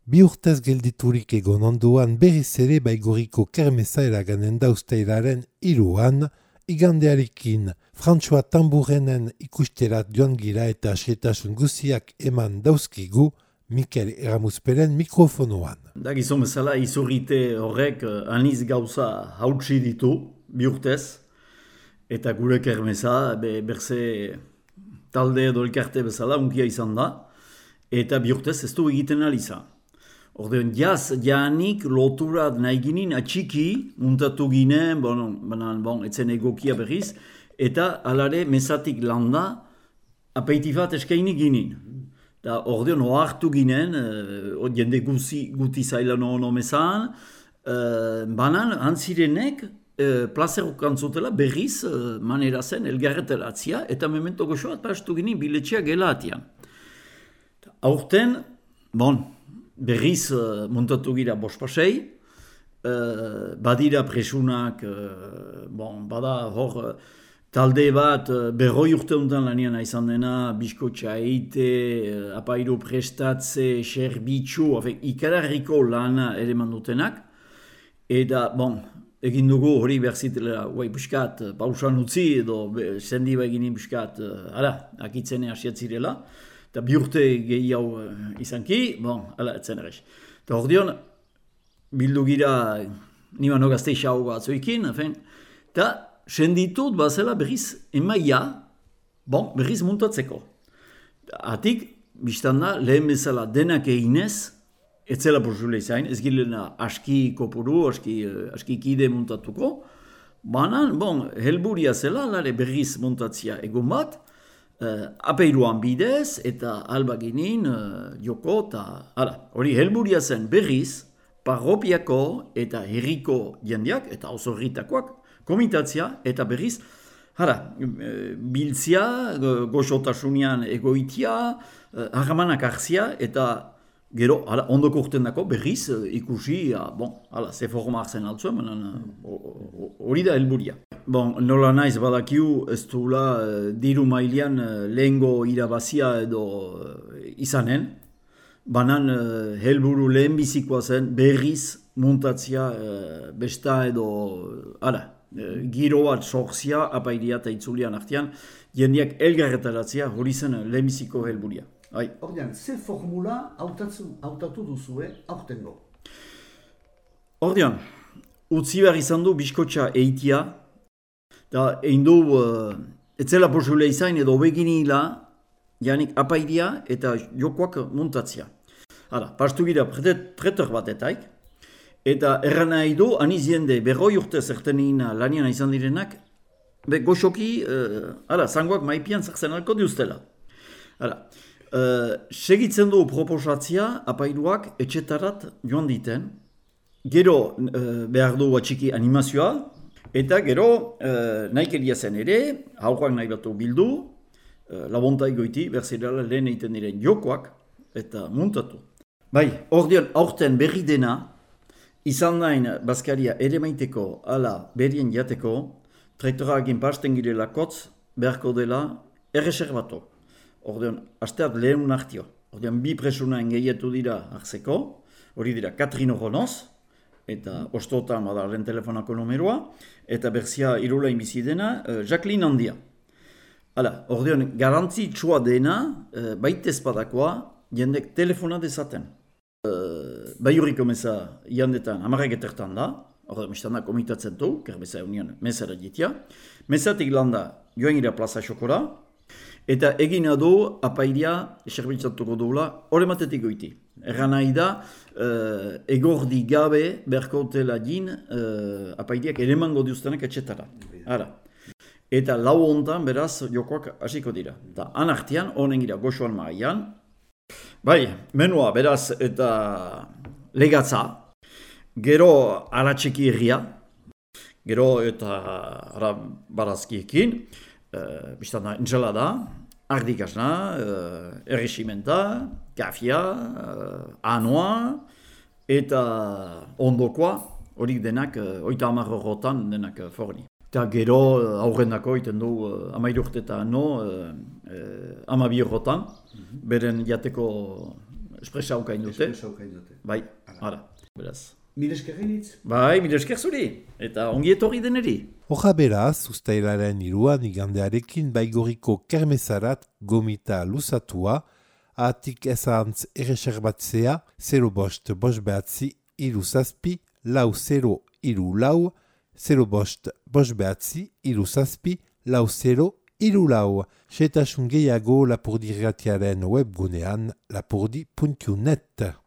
Bi urtez gelditurik egon onduan berriz ere Baigorriko kermesa eraganen da uztailaren 3an, igandearekin Frantsua Tamburenen ikusterat joan gira eta xetasun guziak eman dauzkigu Mikel Eramuzperen mikrofonoan. Da gizon bezala izurrite horrek aniz gauza hautsi ditu bi urtez, eta gure kermesa berze talde edo elkarte bezala unkia izan da, eta bi urtez ez du egiten ali izan. Ordean, jaanik loturat nahi ginen atxiki, muntatu ginen, etzen egokia berriz, eta alare mesatik landa apeitifat eskaini ginen. Da ordean, ohartu ginen, jende guti zailan ono mesan, banan, antzirenek, plazerok antzutela berriz manera zen elgarretelatzia, eta memento goxoat pastu ginen biletxea gelatian. Aurten, berriz montatu gira bospasei, badira presunak, bada hor talde bat berroi urte honetan lanian izan dena, biskotxa eite, apairu prestatze, serbitxu, ikararriko lana ere mandutenak, eta egin dugu hori berzitela, buskat, pausan utzi edo sendi eginin buskat, akitzene asiatzirela, eta bi urte gehiago izanki, etzen errez. Eta ordeon, bildu gira, niman hogazte xau batzuekin, eta senditut bazela berriz emaia, berriz muntatzeko. Atik, biztanda, lehen bezala denak eginez, etzela porzule izain, ez gilena aski kopuru, aski kide muntatuko, banan, helburia zela, lare berriz muntatzia egon bat, apeiruan bidez eta alba ginen joko eta hori helburia zen berriz parropiako eta herriko jendeak eta oso herritakoak komitatzia eta berriz biltzia, goxotasunean egoitia, harramanak hartzia eta gero ondoko urten dako berriz ikusi, ze forma hartzen altzuen, hori da helburia. Nola naiz badakiu ez duela diru mailean lehengo irabazia edo izanen, banan helburu lehenbizikoa zen berriz muntatzia besta edo giro bat sortzia apairia eta itzulian artean, jendeak elgarretaratzia hori zen lehenbiziko helburia. Ordean, ze formula hautatu duzue aurtengo? Ordean, utzi behar izan du biskotxa eitia, eta egin du, etzela posibile izan edo beginila, janik apairia eta jokoak muntatzia. Pastu gira pretor batetaik, eta erran nahi du, aniz jende berroi urte zertenin lanian izan direnak, goxoki, zangoak maipian zertzen alko diuztela. Segitzen du proposatzia apairuak etxetarat joan diten, gero behar du atxiki animazioa, eta gero nahikeria zen ere, haurak nahi batu bildu, labontai goiti, berzirala lehen egiten diren jokoak, eta muntatu. Ordean aurten berri dena, izan nahin Baskaria ere maiteko, ala berrien jateko, traktorakin pasten girela kotz, beharko dela erreserbatu. Ordean, asteat lehen hartio. Ordean, bi presuna engeiatu dira hartzeko, hori dira Katrino Ronoz, eta ostotan badaren telefonako numeroa, eta berzia irulain bizi dena, Jacqueline Handia. Ordean, garantzitsua dena, baitez badakoa, jendek telefona dezaten. Baiurriko meza jandetan, amarrak etertan da, ordean, mistanda komitatzen du, kerbeza union mesara jitia. Mezatik landa, joan gira plaza xokora, eta egina du apairia eserbitzatuko duela hori matetik goiti. Erran nahi da, egordi gabe berkotela din apairiak eremango diuztenak etxetara. Eta lau hontan beraz jokoak hasiko dira. Eta anartian, honen gira goxoan maaian. Menua beraz eta legatza. Gero aratxeki herria. Gero eta barazkiekin. Biztana ensalada, ardikasna, erresimenta, kafia, anoa, eta ondokoa, horik denak, 30 eurotan denak forni. Eta gero aurrendako iten du 13 urte eta 12 eurotan, beren jateko espresa haukain dute. Espresa haukain dute. Bai, hala, beraz. Mil eskerrenitz? Bai, mila esker zuri, eta ongi etorri deneri. Hoja beraz, uztailaren 3 igandearekin Baigorriko kermesarat gomita luzatua, atik ezantz erreserbatzea 0 bost bost behatzi iru zazpi, lau 0 iru lau, 0 bost bost behatzi iru zazpi, lau 0 iru lau. Xetasun gehiago Lapurdi irratiaren webgunean lapurdi.net.